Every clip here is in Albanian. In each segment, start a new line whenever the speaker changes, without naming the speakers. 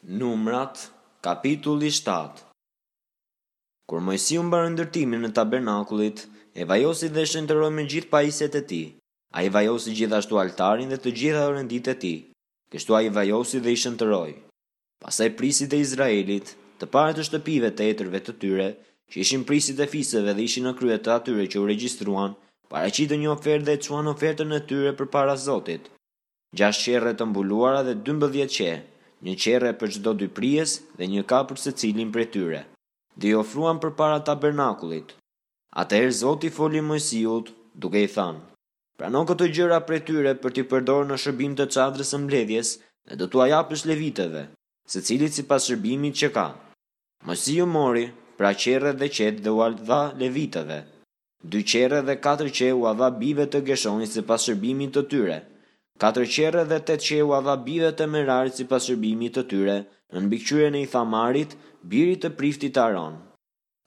Numrat, kapitulli 7 Kur Moisiu mbaroi ndërtimin e tabernakullit, e vajosi dhe e shenjtëroi me gjithë pajisjet e tij. Ai vajosi gjithashtu altarin dhe të gjitha orenditë e tij. Kështu ai i vajosi dhe i shenjtëroi. Pastaj prijësit e Izraelit, të parët e shtëpive të etërve të tyre, që ishin prijësit e fiseve dhe ishin në krye të atyre që u regjistruan, paraqitën një ofertë dhe e çuan ofertën e tyre përpara Zotit. Gjashtë qerre të mbuluara dhe 12 qe, një qerre për çdo dy prijës dhe një kap për secilin prej tyre. Dhe i ofruan përpara tabernakullit. Atëherë Zoti i foli Moisiut, duke i thënë, Prano këto gjëra prej tyre për t'i përdorur në shërbim të çadrës së mbledhjes dhe do t'ua japësh levitëve, secilit sipas shërbimit që ka. Moisiu mori, pra qerret dhe qetë dhe ua dha levitëve. Dy qerre dhe katër qe ua dha bijve të Gershonit sipas shërbimit të tyre. Katër qerre dhe tetë qe ua dha bijve të Merarit sipas shërbimit të tyre, nën mbikëqyrjen e Ithamarit, birit të priftit Aaron.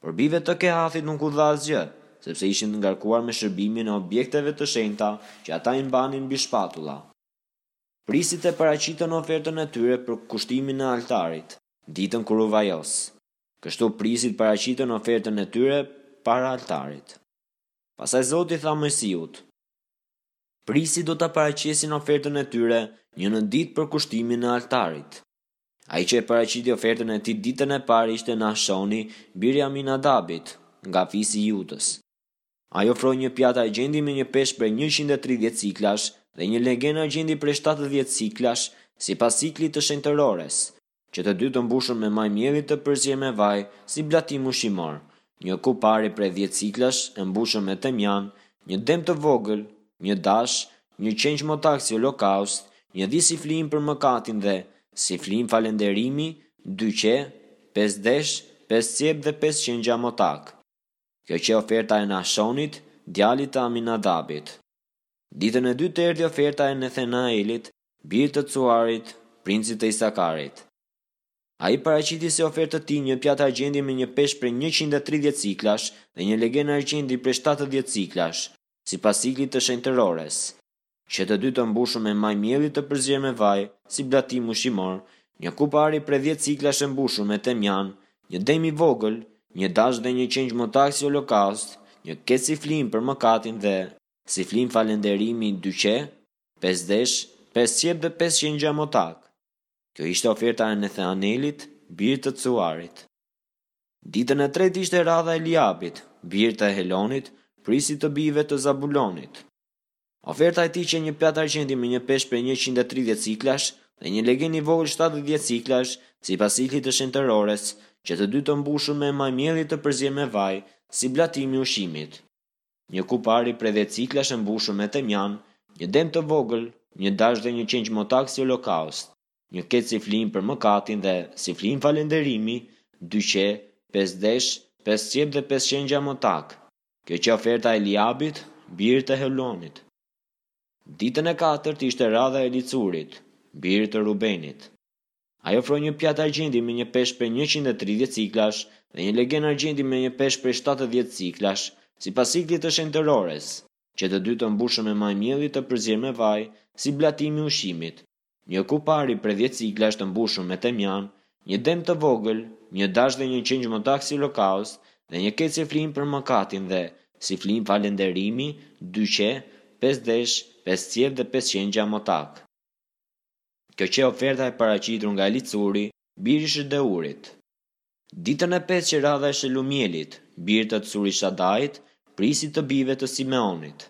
Por bijve të Kehathit nuk u dha asgjë, sepse ishin të ngarkuar me shërbimin e objekteve të shenjta që ata i mbanin mbi shpatulla. Prijësit e paraqitën ofertën e tyre për kushtimin e altarit, ditën kur u vajos. Kështu prijësit paraqitën ofertën e tyre para altarit. Pastaj Zoti i tha Moisiut, Prijësit do ta paraqesin ofertën e tyre një në ditë për kushtimin e altarit. Ai që e paraqiti ofertën e tij ditën e parë ishte Nahshoni, biri i Aminadabit, nga fisi i Judës. Ai ofroi një pjatë argjendi me një peshë prej 130 siklash dhe një legen argjendi prej 70 siklash, sipas siklit të shenjtërores, që të dy të mbushur me majë mielli të përzier me vaj, si blatim ushqimor, një kupë ari prej dhjetë siklash e mbushur me temjan, një dem të vogël, një dash, një qengj motak si holokaust, një dhi si flijim për mëkatin dhe, si flijim falënderimi, dy qe, pesë desh, pesë cjep dhe pesë qengja motakë. Kjo qe oferta e Nahshonit, djalit të Aminadabit. Ditën e dytë erdhi oferta e Nethenaelit, birit të Tsuarit, princit të Isakarit. Ai paraqiti si ofertë të tij një pjatë argjendi me një peshë prej 130 siklash dhe një legen argjendi prej 70 siklash, sipas siklit të shenjtërores, që të dy të mbushur me majë mielli të përzier me vaj, si blatim ushqimor, një kupë ari prej 10 siklash e mbushur me temjan, një dem i vogël, një dash dhe një qengj motak si holokaust, një kec si flijim për mëkatin dhe, si flijim falënderimi, dy qe, pesë desh, pesë cjep dhe pesë qengja motakë. Kjo ishte oferta e Netheanelit, birit të Tsuarit. Ditën e tretë ishte radha e Eliabit, birit të Helonit, prijësit të bijve të Zabulonit. Oferta e tij qe një pjatë argjendi me një peshë prej 130 siklash dhe një legen i vogël 70 siklash, sipas siklit të shenjtërores, që të dy të mbushur me majë mielli të përzier me vaj, si blatim i ushqimit. Një kupë ari prej dhjetë siklash e mbushur me temjan, një dem të vogël, një dash dhe një qengj motak si holokaust, një kec si flijim për mëkatin dhe, si flijim falënderimi, dy qe, pesë desh, pesë cjep dhe pesë qengja motakë. Kjo qe oferta e Eliabit, birit të Helonit. Ditën e katërt ishte radha e Elicurit, birit të Rubenit. Ai ofroi një pjatë argjendi me një peshë prej 130 siklash dhe një legen argjendi me një peshë prej 70 siklash, sipas siklit të shenjtërores, që të dy të mbushur me majë mielli të përzier me vaj, si blatim i ushqimit, një kupë ari prej 10 siklash të mbushur me temjan, një dem të vogël, një dash dhe një qengj motak si holokaust, dhe një kec si flijim për mëkatin dhe, si flijim falënderimi, dy qe, pesë desh, pesë cjep dhe pesë qengja motakë. Kjo qe oferta e paraqitur nga Elicuri, biri i Shedeurit. Ditën e pestë qe radha e Shelumielit, birit të Curishadait, prijësit të bijve të Simeonit.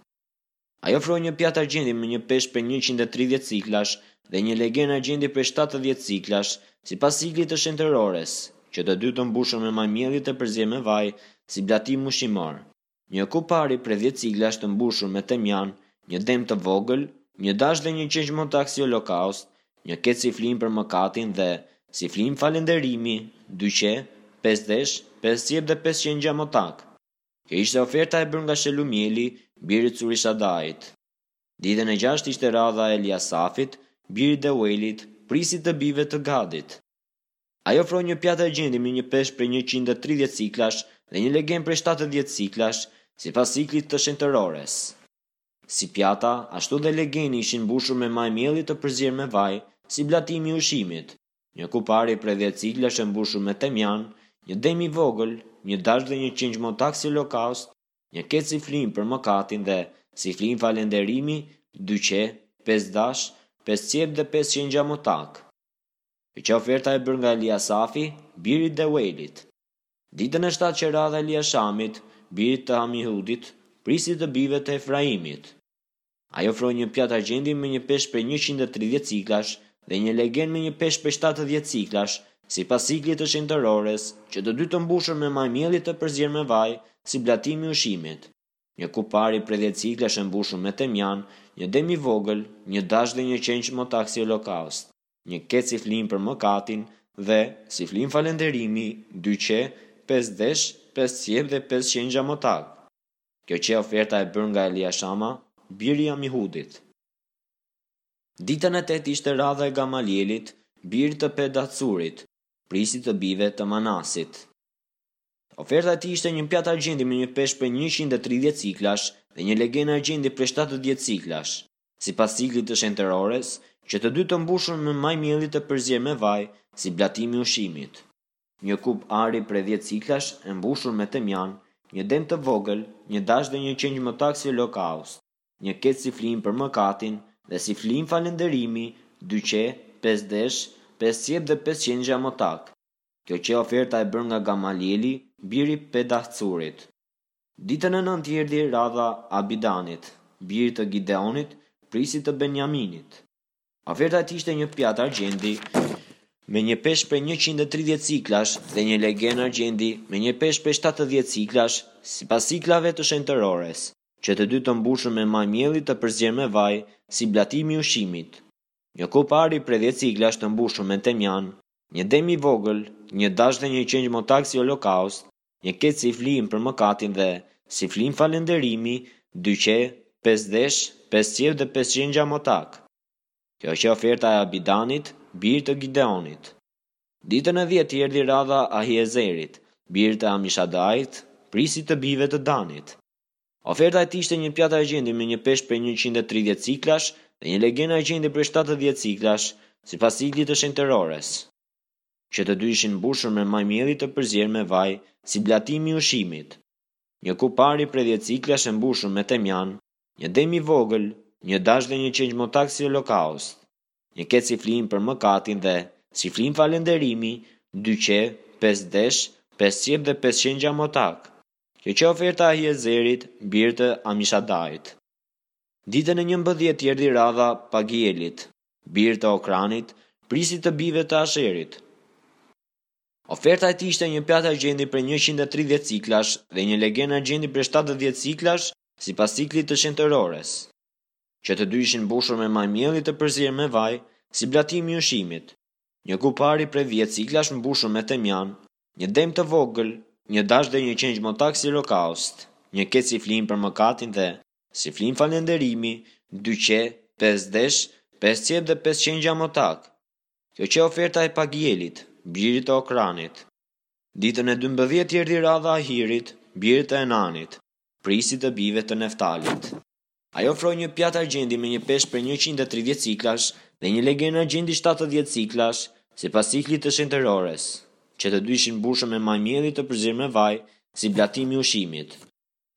Ai ofroi një pjatë argjendi me një peshë prej 130 siklash dhe një legen argjendi prej 70 siklash, sipas siklit të shenjtërores, që të dy të mbushur me majë mielli të përzier me vaj, si blatim ushqimor. Një kupë ari prej dhjetë siklash të mbushur me temjan, një dem të vogël, një dash dhe një qengj motak si holokaust, një kec si flijim për mëkatin dhe, si flijim falënderimi, dy qe, pesë desh, pesë cjep dhe pesë qengja motakë. Kjo ishte oferta e bërë nga Shelumieli, biri i Curishadait. Ditën e gjashtë ishte radha e Eliasafit, birit të Deuelit, prijësit të bijve të Gadit. Ai ofroi një pjatë argjendi me një peshë prej 130 siklash dhe një legen prej 70 siklash, sipas siklit të shenjtërores. Si pjata, ashtu dhe legeni ishin mbushur me majë mielli të përzier me vaj, si blatim i ushqimit. Një kupë ari prej dhjetë siklash e mbushur me temjan, një dem i vogël, një dash dhe një qengj motak si holokaust, një kec si flijim për mëkatin dhe, si flijim falënderimi, dy qe, pesë dash, pesë cjep dhe pesë qengja motakë. Kjo qe oferta e bërë nga Eliasafi, biri i Deuelit. Ditën e shtatë qe radha e Eliashamit, birit të Amihudit, prijësit të bijve të Efraimit. Ai ofroi një pjatë argjendi me një peshë prej 130 siklash dhe një legen me një peshë prej 70 siklash, sipas siklit të shenjtërores, që të dy të mbushur me majë mielli të përzier me vaj, si blatim i ushqimit. Një kupë ari prej dhjetë siklash e mbushur me temjan, një dem i vogël, një dash dhe një qengj motak si holokaust, një kec si flijim për mëkatin dhe, si flijim falënderimi, dy qe, pesë desh, pesë cjep dhe pesë qengja motakë. Kjo qe oferta e bërë nga Eliashama, biri i Amihudit. Ditën e tetë ishte radha e Gamalielit, birit të Pedahtsurit, prijësit të bijve të Manasit. Oferta e tij ishte një pjatë argjendi me një peshë prej 130 siklash dhe një legen argjendi prej 70 siklash, sipas siklit të shenjtërores, që të dy të mbushur me majë mielli të përzier me vaj, si blatim i ushqimit. Një kupë ari prej dhjetë siklash e mbushur me temjan, një dem të vogël, një dash dhe një qengj motak si holokaust, një kec si flijim për mëkatin dhe si flijim falënderimi, dy qe, pesë desh, pesë cjep dhe pesë qengja motakë. Kjo qe oferta e bërë nga Gamalieli, biri i Pedahtsurit. Ditën e nëntë i erdhi radha Abidanit, birit të Gideonit, prijësit të Benjaminit. Oferta e tij ishte një pjatë argjendi me një peshë prej 130 siklash dhe një legen argjendi me një peshë prej 70 siklash, sipas siklave të shenjtërores, që të dy të mbushur me majë mielli të përzier me vaj, si blatim i ushqimit. Një kupë ari prej dhjetë siklash të mbushur me temjan, një dem i vogël, një dash dhe një qengj motak si holokaust, një kec si flijim për mëkatin dhe, si flijim falënderimi, dy qe, pesë desh, pesë cjep dhe pesë qengja motakë. Kjo qe oferta e Abidanit, birit të Gideonit. Ditën e dhjetë i erdhi radha Ahiezerit, birit të Amishadait, prijësit të bijve të Danit. Oferta e tij ishte një pjatë argjendi me një peshë prej 130 siklash dhe një legen argjendi prej 70 siklash, sipas siklit të shenjtërores. Që të dy ishin mbushur me majë mielli të përzier me vaj, si blatim i ushqimit. Një kupë ari prej dhjetë siklash e mbushur me temjan, një dem i vogël, një dash dhe një qengj motak si holokaust, një kec si flijim për mëkatin dhe, si flijim falënderimi, dy qe, pesë desh, pesë cjep dhe pesë qengja motakë. Kjo qe oferta e Ahiezerit, birit të Amishadait. Ditën e njëmbëdhjetë i erdhi radha Pagielit, birit të Okranit, prijësit të bijve të Asherit. Oferta e tij ishte një pjatë argjendi prej 130 siklash dhe një legen argjendi prej 70 siklash, sipas siklit të shenjtërores. Që të dy ishin mbushur me majë mielli të përzier me vaj, si blatim i ushqimit. Një kupë ari prej dhjetë siklash mbushur me temjan, një dem të vogël, një dash dhe një qengj motak si holokaust, një kec si flijim për mëkatin dhe, si flijim falënderimi, dy qe, pesë desh, pesë cjep dhe pesë qengja motakë. Kjo qe oferta e Pagielit, birit të Okranit. Ditën e dymbëdhjetë i erdhi radha Ahirit, birit të Enanit, prijësit të bijve të Neftalit. Ai ofroi një pjatë argjendi me një peshë prej 130 siklash dhe një legen argjendi 70 siklash, sipas siklit të shenjtërores, që të dy ishin mbushur me majë mielli të përzier me vaj, si blatim i ushqimit.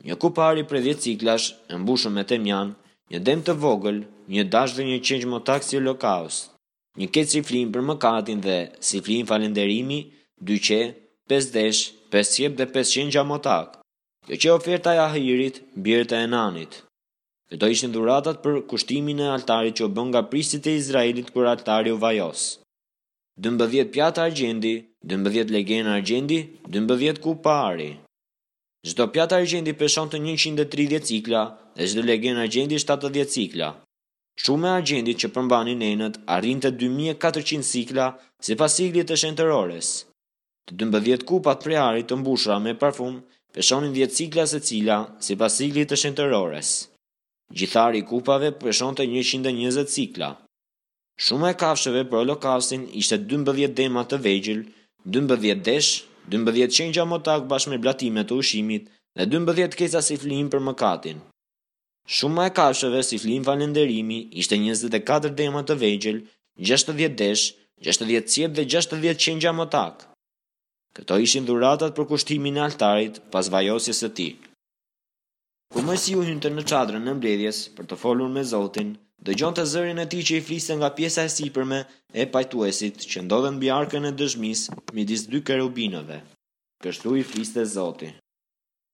Një kupë ari prej dhjetë siklash, e mbushur me temjan, një dem të vogël, një dash dhe një qengj motak si holokaust. Një kec si flijim për mëkatin dhe, si flijim falënderimi, dy qe, pesë desh, pesë cjep dhe pesë qengja motakë. Kjo qe oferta e Ahirit, birit të Enanit. Këto ishin dhuratat për kushtimin e altarit që u bënë nga prijësit e Izraelit kur altari u vajos. 12 pjata argjendi, 12 legenë argjendi, 12 kupa ari. Çdo pjatë argjendi peshonte 130 sikla dhe çdo legen argjendi 70 sikla. Shuma e argjendit që përmbanin enët arrinte 2400 sikla sipas siklit të shenjtërores. Të 12 kupat prej ari të mbushura me parfum peshonin 10 sikla secila sipas siklit të shenjtërores. Gjithë ari i kupave peshonte 120 sikla. Shuma e kafshëve për holokaustin ishte 12 dema të vegjël, 12 desh, 12 qengja motakë bashkë me blatime të ushqimit dhe 12 keca si flijim për mëkatin. Shuma e kafshëve si flijim falënderimi ishte 24 dema të vegjël, 60 desh, 60 cjep dhe 60 qengja motakë. Këto ishin dhuratat për kushtimin e altarit pas vajosjes së tij. Kur Moisiu hynte në çadrën e mbledhjes për të folur me Zotin, dëgjonte zërin e tij që i fliste nga pjesa e sipërme e pajtuesit që ndodhet mbi arkën e dëshmisë midis dy kerubinëve. Kështu i fliste Zoti.